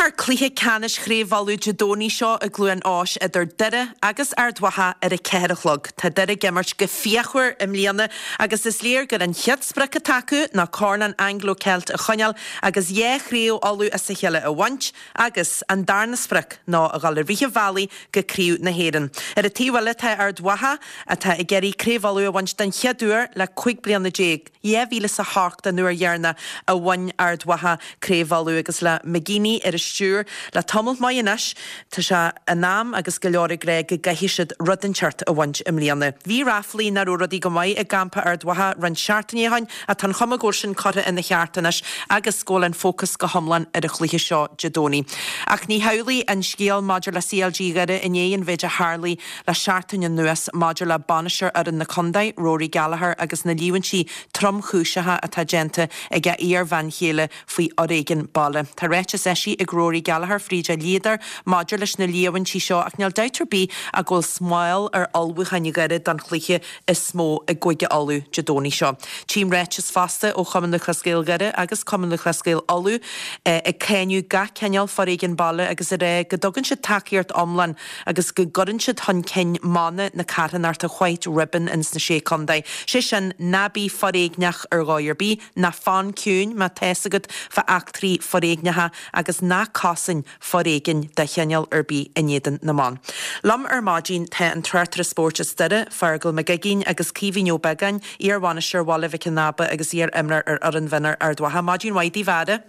Imreofar cluiche ceannais Chraobh Uladh Dé Domhnaigh seo i gCluain Eois idir Doire agus Ard Mhacha ar a 4 a chlog. Tá Doire ag imirt go fíochmhar i mbliana agus is léir gur an chéad sprioc atá acu ná Corn an Anglo Celt a choinneáil agus 2 chraobh Uladh as a chéile a bhaint agus an darna sprioc ná a dhul i rith an bhealaigh go Craobh na hÉireann. Ar an taobh eile tá Ard Mhacha atá ag iarraidh Craobh Uladh a bhaint den chéad uair le 15 bliana. 2008 an uair dheireanach a bhain Ard Mhacha Craobh Uladh agus le McGeeney ar an stiúir le tamall maith anois tá sé in am agus go leor ag rá go gcaithfidh siad rud inteacht a bhaint i mbliana. Bhí ráflaí nach raibh rudaí go maith i gcampa Ard Mhacha roinnt seachtainí ó shin ach tá an chuma go bhfuil sin curtha ina cheart anois agus go bhfuil an fócas go hiomlán ar an chluiche seo Dé Domhnaigh. Ach ní hamhlaidh an scéal maidir le CLG Dhoire i ndiaidh an mhéid a tharlaigh le seachtain anuas maidir le bainisteoir fhoireann na contae, Rory Gallagher agus na líomhaintí tromchúiseacha atá déanta ag a iar-bhean chéile faoi fhoréigean baile. Tá ráiteas eisithe ag Rory Gallagher fríd a dhlíodóir maidir leis na líomhaintí seo ach níl dabht ar bith ach go bhfuil smál ar ullmhúcháin Dhoire don chluiche is mó i gCúige Uladh Dé Domhnaigh seo. Tchím ráiteas fosta ó Chumann Lúthchleas Gael Dhoire agus Cumann Lúthchleas Gael Uladh ag cáineadh gach cineál foréigin baile agus ag rá go dtugann siad tacaíocht iomlán agus go gcuireann siad chun cinn mana na carthanachta White Ribbon ins na Sé Contae, sé sin, ná bí foréigneach ar dhóigh ar bith, ná fan ciúin má tá's agat fá eachtraí foréigneacha agus ná cosain foréigean de chineál ar bith in éadan na mban. Liom ar maidin tá an tráchtaire spóirt as Doire, Feargal Mac Uiginn agus Caoimhín Ó Beagáin, iar-bhainisteoir Bhaile Mhic an Aba agus iar-imreoir ar fhoireann mhionúir Ard Mhacha. Maidin mhaith daoibh, a fheara.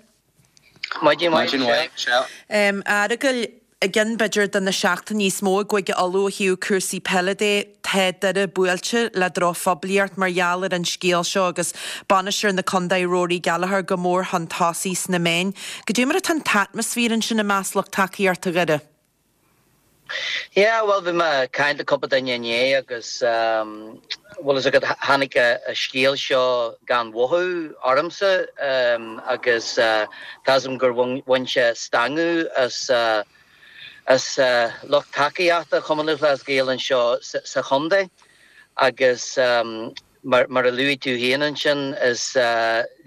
Maidin mhaith, Michelle. A Fheargail, i gceann b'fhéidir de na seachtainí is mó i gCúige Uladh ó thaobh cúrsaí peile de, tá Doire buailte le drochphoiblíocht mar gheall ar an scéal seo agus bainisteoir na contae Rory Gallagher go mór chun tosaigh sna meáin. Goidé mar atá an t-atmaisféar ansin i measc lucht tacaíochta Dhoire? Yeah, bhuel bhí mé ag caint le cúpla duine inné agus bhfuil fhios agat tháinig an scéal seo gan mhothú ormsa agus tá fhios agam gur bhain sé stangadh as as lucht tacaíochta Chumann Lúthchleas Gael anseo sa chontae agus Mar a luaigh tú féin ansin, is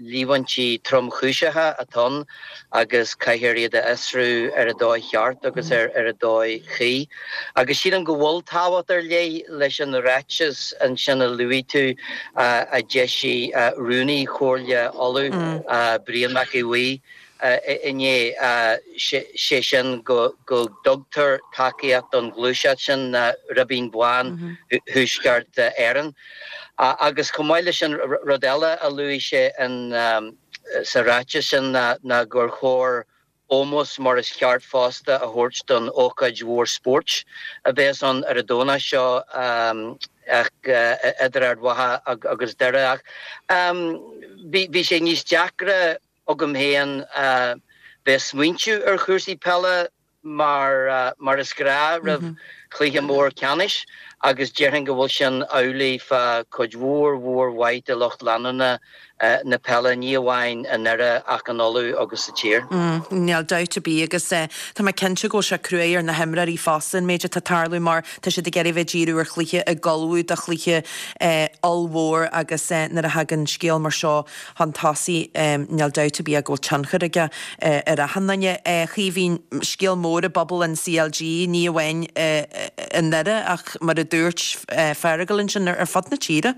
líomhaintí tromchúiseacha atá ann agus caithfear iad a fhiosrú ar an dóigh cheart agus ar an dóigh chuí. Agus sílim go bhfuil tábhacht ar leith leis an ráiteas ansin a luaigh tú a d'eisigh Rúnaí Chomhairle Uladh, Brian Mac Aodha Bhuí, inné, sé sin go dtugtar tacaíocht don ghluaiseacht sin, Ribín Bán Thuaisceart Éireann. Agus chomh maith leis sin, rud eile a luaigh sé sa ráiteas sin ná gur chóir ómós mar is ceart fosta a thabhairt don ócáid mhór spóirt a bheas ann ar an Domhnach seo idir Ard Mhacha agus Doire. Ach bhí sé níos deacra agam féin bheith ag smaointiú ar chúrsaí peile mar mar is gnáth roimh chluiche mór ceannais agus déarfainn go bhfuil sin amhlaidh fá chuid mhór mhór mhaith de lucht leanúna na peile, ní amháin i nDoire ach in Uladh agus sa tír. Níl dabht ar bith agus tá mé cinnte go bhfuil sé cruaidh ar na himreoirí fosta an méid atá ag tarlú mar tá siad ag iarraidh bheith ag díriú ar chluiche, ag ullmhú do chluiche ollmhór agus nuair a thagann scéal mar seo chun tosaigh, níl dabht ar bith go bhfuil tionchar aige ar achan duine. A Chaoimhín, scéal mór i bpobal an CLG, ní amháin i nDoire ach mar a dúirt Feargal ansin, ar fud na tíre.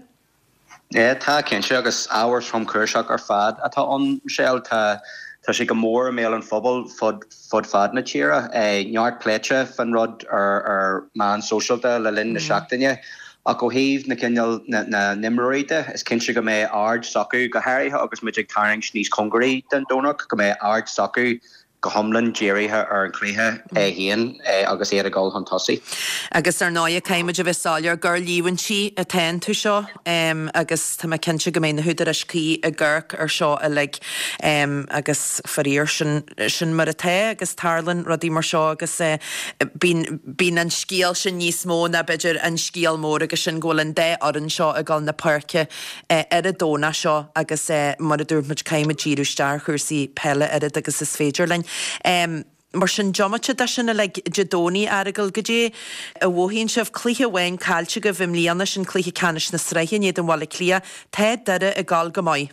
Yeah, tá, cinnte, agus ábhar tromchúiseach ar fad atá ann, Michelle. Tá tá sé go mór i mbéal an phobail fud fud fad na tíre. Neart pléite fán rud ar ar meáin sóisialta le linn na seachtaine. Ach ó thaobh na cineál na n-imreoirí de, is cinnte go mbeidh aird s'acu, go háirithe agus muid ag tarraingt níos cóngaraí don Domhnach, go mbeidh aird s'acu go hiomlán dírithe ar an chluiche é féin agus iad ag dul chun tosaigh. Agus ar ndóigh, caithfidh muid a bheith soiléir gur líomhaintí atá iontu seo agus tá mé cinnte go mbeidh na húdaráis cuí ag amharc ar seo uilig agus faraor sin sin mar atá agus tarlaíonn rudaí mar seo agus bíonn Bíonn an scéal sin níos mó ná b'fhéidir an scéal mór agus sin go bhfuil an dá fhoireann seo ag dul na páirce ar an Domhnach seo agus mar a dúirt muid caithfidh muid díriú isteach ar chúrsaí peile oiread agus is féidir linn. Mar sin, diomaite de sin uilig, Dé Domhnaigh, a Fheargail, goidé a mhothaíonn sibh? Cluiche amháin caillte agaibh i mbliana, sin cluiche ceannais na sraithe in éadan Bhaile Átha Cliath. Tá Doire ag dul go maith.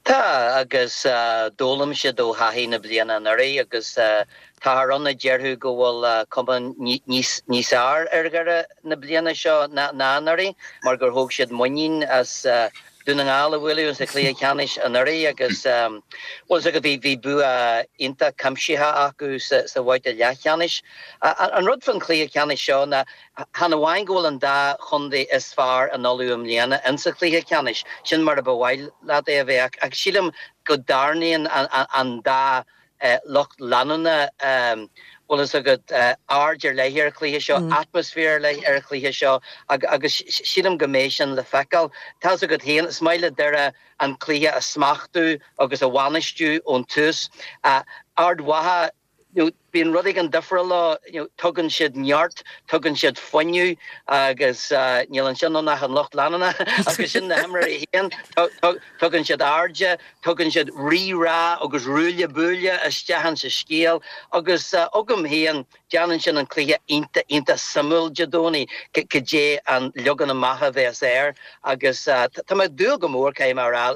Tá, agus d'fhoghlaim siad ó thaithí na bliana anuraidh agus táthar ann a déarfadh go bhfuil cuma níos fearr ar Dhoire na bliana seo ná anuraidh mar gur thóg siad muinín as Dún na nGall a bhualadh sa chluiche ceannais anuraidh agus bhuel is agat bhí bua iontach cuimsitheach acu sa bhabhta leathcheannais. An rud faoin chluiche ceannais seo ná Chan amháin go bhfuil an dá chontae is fearr in Uladh i mbliana insa chluiche ceannais, sin mar a ba mhaith leat é a bheith, ach sílim go dtarraingíonn an dá lucht leanúna, bhfuil fhios agat, aird ar leith ar an chluiche seo, atmaisféar ar leith ar an chluiche seo agus sílim go mbeidh sin le feiceáil. Tá fhios agat féin, is maith le Doire an cluiche a smachtú agus a bhainistiú ón tús. Ard Mhacha, you know, bíonn rud éigin difriúil leo, you know, tugann siad neart, tugann siad fuinneamh agus níl ansin ann ach an lucht leanúna agus sin na himreoirí féin, tugann siad airde, tugann siad rí-rá agus ruaille buaille isteach insa scéal agus agam féin déanann sin an cluiche iontach, iontach suimiúil Dé Domhnaigh, cad é an leagan amach a bheas air agus tá mé ag dúil go mór, caithfidh mé a rá,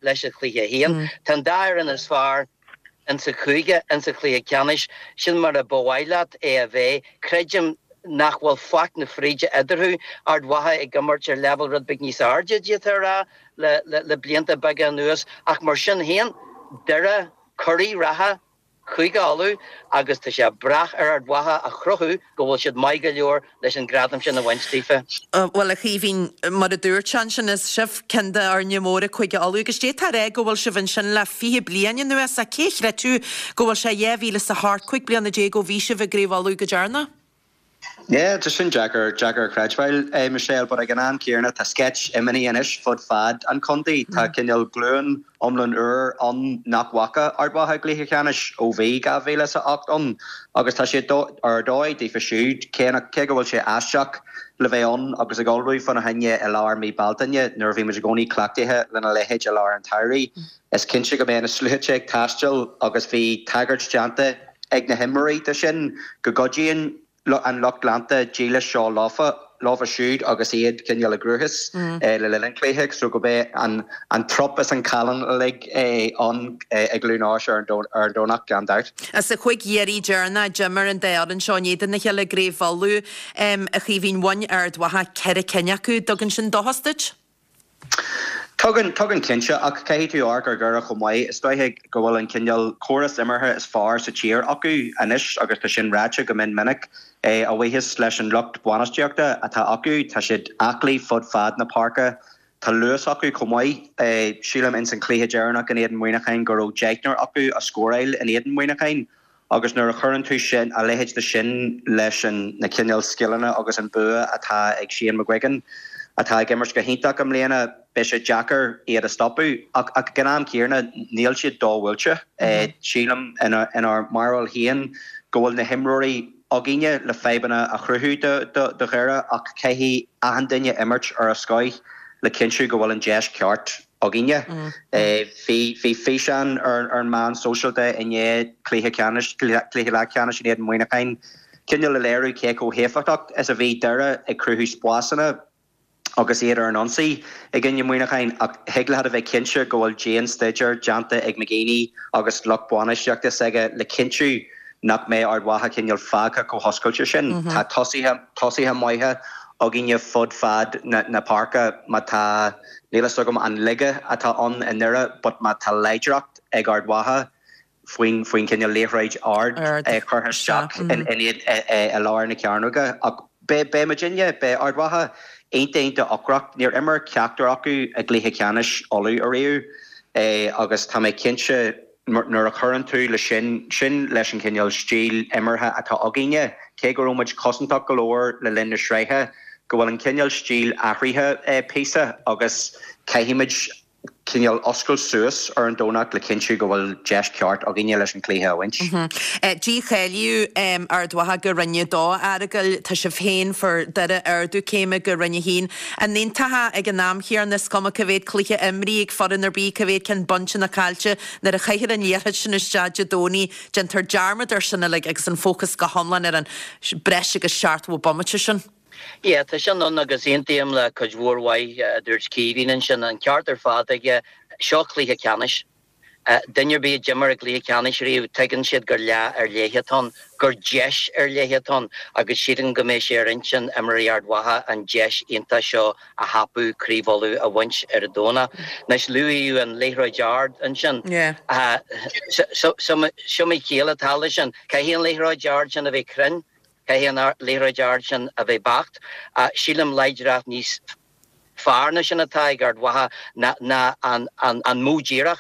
leis an chluiche féin. Tá an dá fhoireann is fearr. insa chúige, insa chluiche ceannais, sin mar a ba mhaith leat é a bheith. Creidim nach bhfuil faic na fríde eadarthu, Ard Mhacha ag imirt ar leibhéal rud beag níos airde, d'fhéadfá a rá, le blianta beaga anuas, ach mar sin féin, Doire, curaidh reatha Chúige Uladh agus tá sé ag brath ar Ard Mhacha a chruthú go bhfuil siad maith go leor leis an gradam sin a bhaint daofa. Bhuel, a Chaoimhín, mar a dúirt sé ansin, is sibh ceann d'fhoirne móra Chúige Uladh agus d'fhéadfá a rá go bhfuil sibh ansin le 20 bliain anuas, ach cé a chreidfeadh go bhfuil sé 2008, 15 bliana ó bhí sibh i gCraobh Uladh go deireanach? Yeah, tá sin deacair, deacair a chreidbheáil, eh, Michelle, but ag an am céanna tá sceitimíní anois fud fad an chontae. Tá cineál glúin iomlán úr ann nach bhfaca Ard Mhacha i gcluiche ceannais ó bhí 2008 ann agus tá sé ar dóigh daofa siúd, cé nach, cé go bhfuil sé aisteach le bheith ann agus ag ullmhú fána choinne i lár mí Bealtaine nuair a bhí muid i gcónaí cleachtaithe lena leithéid i lár an tsamhraidh. Is cinnte go mbeidh na sluaite ag taisteal agus bhí tagairt déanta ag na himreoirí de sin go gcuidíonn an lucht leanta dílis seo leofa, leofa siúd agus iad cineál i gcruachás le linn an chluiche so go mbeidh an trup is an callán uilig ann i gCluain Eois ar an Domhnach gan dabht. Sa chúig iarraidh deireanach d'imir an dá fhoireann seo in éadan a chéile i gCraobh Uladh, a Chaoimhín, bhain Ard Mhacha ceithre cinn acu. Dtugann sin dóchas duit? Tugann, tugann cinnte, ach caithfidh tú amharc ar Dhoire chomh maith. Is dóiche go bhfuil an cineál córas imeartha is fearr sa tír acu anois agus tá sin ráite go mion minic. A bhuíochas leis an lucht bainistíochta atá acu, tá siad aclaí fud fad na páirce. Tá luas acu chomh maith. Sílim ins an chluiche deireanach in éadan Muineacháin go raibh deichniúr acu a scóráil in éadan Muineacháin. Agus nuair a chuireann tú sin, a leithéid de sin leis an na cineál scileanna agus an bua atá ag Shane McGuigan, atá ag imirt go hiontach i mbliana, beidh sé deacair iad a stopadh. Ach ag an am céanna, níl siad do-bhuailte. Sílim, inár mbarúil féin, go bhfuil na himreoirí againne le fadhbanna a chruthú do Dhoire ach caithfidh achan duine imirt ar a scoith le cinntiú go bhfuil an deis ceart againne. Bhí físeán ar an meán sóisialta i ndiaidh cluiche ceannais, cluiche leathcheannais in éadan Muineacháin, cineál le léiriú cé chomh héifeachtach is a bhí Doire ag cruthú spásanna agus iad ar an ionsaí i gcoinne Muineacháin ach thig leat a bheith cinnte go bhfuil dian-staidéar déanta ag McGeeney agus lucht bainistíochta s'aige le cinntiú nach mbeidh Ard Mhacha cineál fágtha chomh hoscailte sin. Tá tosaithe, tosaithe maithe againne fud fad na páirce má tá, níl fhios agam an laige atá ann i nDoire but má tá láidreacht ag Ard Mhacha faoin faoin cineál liathróid ard curtha isteach in i lár na cearnóige ach beidh beidh muidinne, beidh Ard Mhacha iontach iontach ocrach. Níor imir ceachtar acu i gcluiche ceannais Uladh ariamh agus tá mé cinnte Nuair a chuireann tú le sin, sin leis an chineál stíl imeartha atá againne, cé go raibh muid cosantach go leor le linn na sraithe, go bhfuil an cineál stíl athraithe píosa agus caithfimid cineál oscailt suas ar an Domhnach le cinntiú go bhfuil deis ceart againne leis an chluiche a bhaint. Dícháilíodh Ard Mhacha go Roinn 2, a Fhearghail. Tá sibh féin, fuair Doire ardú céime go Roinn 1. An aontófá ag an am chéanna, is cuma cá mhéad cluiche imrithe ag foireann ar bith, cá mhéad ceann bainte nó caillte, nuair a chaithfear an liathróid sin isteach Dé Domhnaigh, déantar dearmad air sin uilig agus an fócas go hiomlán ar an breis agus 70 bomaite sin. Yeah, tá sin ann agus aontaím le cuid mhór mhaith a dúirt Caoimhín ansin. An ceart ar fad aige. Seo cluiche ceannais. Duine ar bith a d'imir i gcluiche ceannais riamh, tuigeann siad gur lá ar leith atá ann, gur deis ar leith atá ann agus sílim go mbeidh sé ar intinn imreoirí Ard Mhacha an deis iontach seo a thapú, Craobh Uladh a bhaint ar an Domhnach. Anois, luaíodh an liathróid ard ansin. Is iomaí ciall atá leis sin. Caithfidh an liathróid ard sin a bheith cruinn, caithfidh an liathróid ard sin a bheith beacht. Sílim láidreacht níos fearr ná sin atá ag Ard Mhacha ná an modh díreach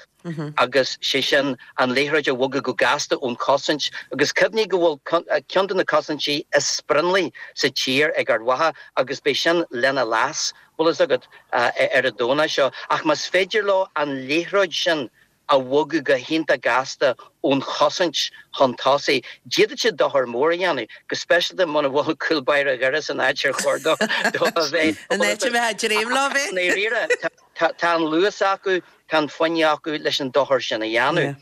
agus sé sin an liathróid a bhogadh go gasta ón chosaint agus cuimhnigh go bhfuil ceann de na cosaintí is sprionlaí sa tír ag Ard Mhacha agus beidh sin lena leas, bhfuil fhios agat, ar an Domhnach seo. Ach más féidir leo an liathróid sin a bhogadh go hiontach gasta ón chosaint chun tosaigh. D'fhéadfadh siad dochar mór a dhéanamh, go speisialta muna bhfuil cúl báire Dhoire san áit ar chóir dó a bheith. An áit a mbeadh ag dréim leo a bheith. I ndáiríre, tá an luas acu, tá an fuinneamh acu leis an dochar sin a dhéanamh.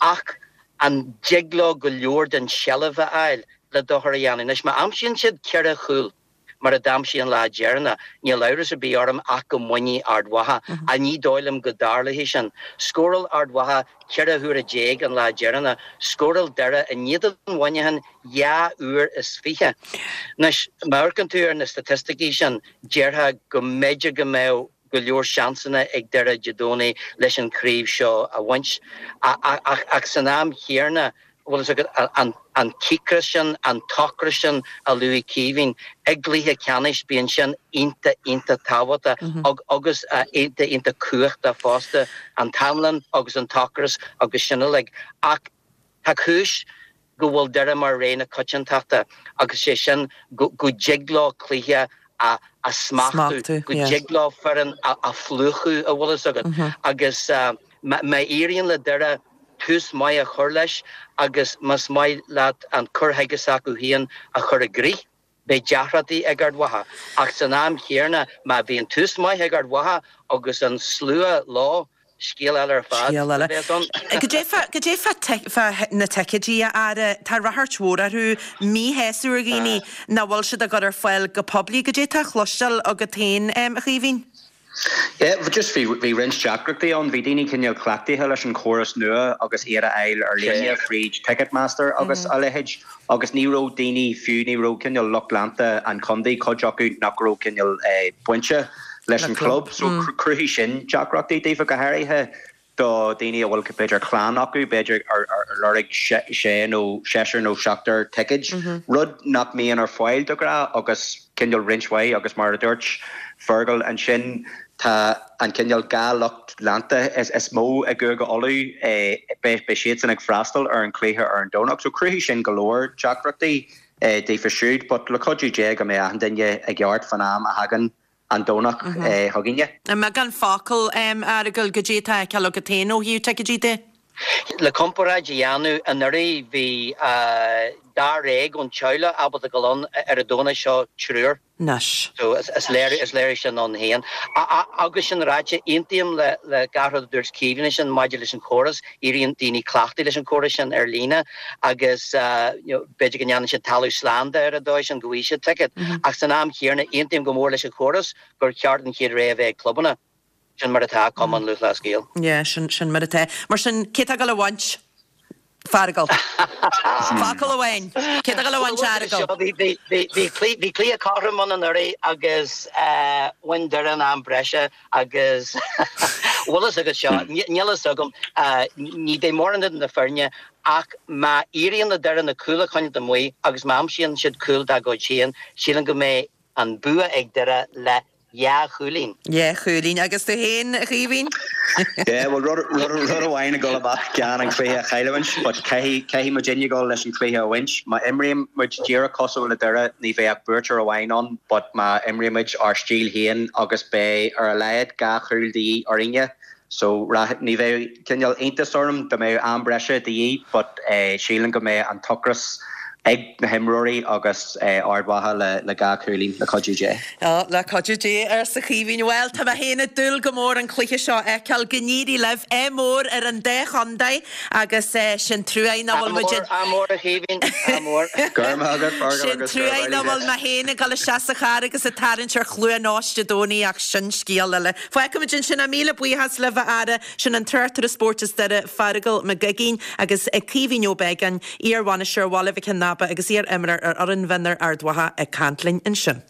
Ach an dtig leo go leor den tseilbh a fháil le dochar a dhéanamh? Anois, má aimsíonn siad ceithre chúl, mar a d'aimsigh an lá deireanach. Níl amhras ar bith orm ach go mbainfidh Ard Mhacha, ach ní dóigh liom go dtarlóidh sin. Scóráil Ard Mhacha 14 huaire an lá deireanach. Scóráil Doire in éadan Mhuineacháin 22 uair. Anois, má amharcann tú ar na staitisticí sin, déarfá go mb'fhéidir go mbeadh go leor seansanna ag Doire Dé Domhnaigh leis an chraobh seo a bhaint. Ach san am chéanna, bhfuil fhios agat, an cíocras sin, an t-ocras sin a luaigh Caoimhín, i gcluiche ceannais bíonn sin iontach, iontach tábhachtach agus iontach, iontach cumhachtach fosta, an t-anlann agus an t-ocras agus sin uilig. Ach tá cúis go bhfuil Doire mar rogha na coitiantachta agus sé sin go dtig leo cluiche a smachtú, go dtig leo foireann a phlúchadh, a bhfuil fhios agat. Agus má éiríonn le Doire tús maith a chur leis agus más maith leat an cur chuige s'acu féin a chur i gcrích, beidh deacrachtaí ag Ard Mhacha. Ach san am chéanna, má bhíonn tús maith ag Ard Mhacha agus an slua leo, scéal eile ar fad a bheas ann. Goidé fá na ticéidí, a fheara? Tá ráchairt mhór orthu, míshásamh ar dhaoine nach bhfuil siad á gcur ar fáil go poiblí. Goidé tá á chloisteáil agat féin, a Chaoimhín? Yeah, just bhí, bhí roinnt deacrachtaí ann. Bhí daoine cineál cleachtaithe leis an chóras nua agus iad a fháil ar líne fríd Ticketmaster agus a leithéid agus ní raibh daoine, fiú ní raibh cineál lucht leanta an chontae, cuid acu nach raibh cineál bainte leis an chlub. So chruthaigh sin deacrachtaí daofa go háirithe do dhaoine a bhfuil b'fhéidir clann acu, b'fhéidir ar lorg sé nó seisear nó seachtar ticéid, rud nach mbíonn ar fáil de ghnáth agus cineál roinnt mhaith agus mar a dúirt Fergal ansin tá an cineál dhá lucht leanta is mó i gCúige Uladh, beidh siadsan ag freastal ar an chluiche ar an Domhnach so chruthaigh sin go leor deacrachtaí daofa siúd but le cuidiú Dé go mbeidh achan duine i gceart fán am a thagann an Domhnach chugainne. I mbeagán focal, a Fheargail, goidé atá á fheiceáil agat féin ó thaobh ticéidí de? Le comparáid a dhéanamh, anuraidh bhí dáréag ón teaghlach ábalta dul ann, ar an Domhnach seo triúr. Anois. So is léiriú, is léiriú sin ann féin. Agus sin ráite, aontaím le le gach rud a dúirt Caoimhín ansin maidir leis an chóras. Éiríonn daoine cleachtaithe leis an chóras sin ar líne agus you know b'fhéidir go ndéanann siad talamh slán de ar an dóigh sin go bhfaighidh siad ticéad. Ach san am chéanna, aontaím go mór leis an chóras gur cheart an chéad rogha a bheith ag clubanna. Sin mar atá, Cumann Lúthchleas Gael. Yeah, sin, sin mar atá. Mar sin, cé atá ag dul a bhaint? Feargal. Focal amháin. Cé atá ag dul a bhaint, Fheargal? Bhí cluiche cothrom ann anuraidh agus bhain Doire in am breise agus bhfuil fhios agat seo, níl fhios agam, ní bheidh mórán idir na foirne ach má éiríonn le Doire na cúil a choinneáil amuigh agus má aimsíonn siad cúl dá gcuid féin, sílim go mbeidh an bua ag Doire le dhá chúilín. Dhá chúilín. Agus tú féin, a Chaoimhín? Yeah, bhuel, rud, rud, rud amháin a dhul amach gan an cluiche a chailliúint, but caithfidh, caithfidh muidinne dul leis an cluiche a bhaint. Má imríonn muid díreach cosúil le Doire, ní bheidh ach buaiteoir amháin ann, but má imríonn muid ár stíl féin agus beidh ar a laghad dhá chúl de dhíth orainne, so ní bheadh cineál iontas orm dá mbeadh am breise de dhíth, but sílim go mbeidh an t-ocras. Ag na himreoirí agus Ard Mhacha le dhá chúilín, le cuidiú Dé. Ó, le cuidiú Dé, arsa Caoimhín. Bhuel, tá mé féin ag dúil go mór an cluiche seo a fheiceáil. Go n-éirí libh. Ádh mór ar an dá chontae agus sin truaigh nach bhfuil muid. Ádh mór, a Chaoimhín, ádh mór. Go raibh maith agat, Feargal, Sin agus go truaigh raibh nach bhfuil mé féin ag dul isteach sa charr agus ag tarraingt ar Chluain Eois Dé Domhnaigh ach sin scéal eile. Fágfaimid ansin é. Míle buíochas libh, a fheara. Sin an tráchtaire spóirt as Doire, Feargal Mac Uiginn agus Caoimhín Ó Beagáin, iar-bhainisteoir Bhaile Mhic Con Naba agus iar-imreoir ar fhoireann mhionúir Ard Mhacha ag caint linn ansin.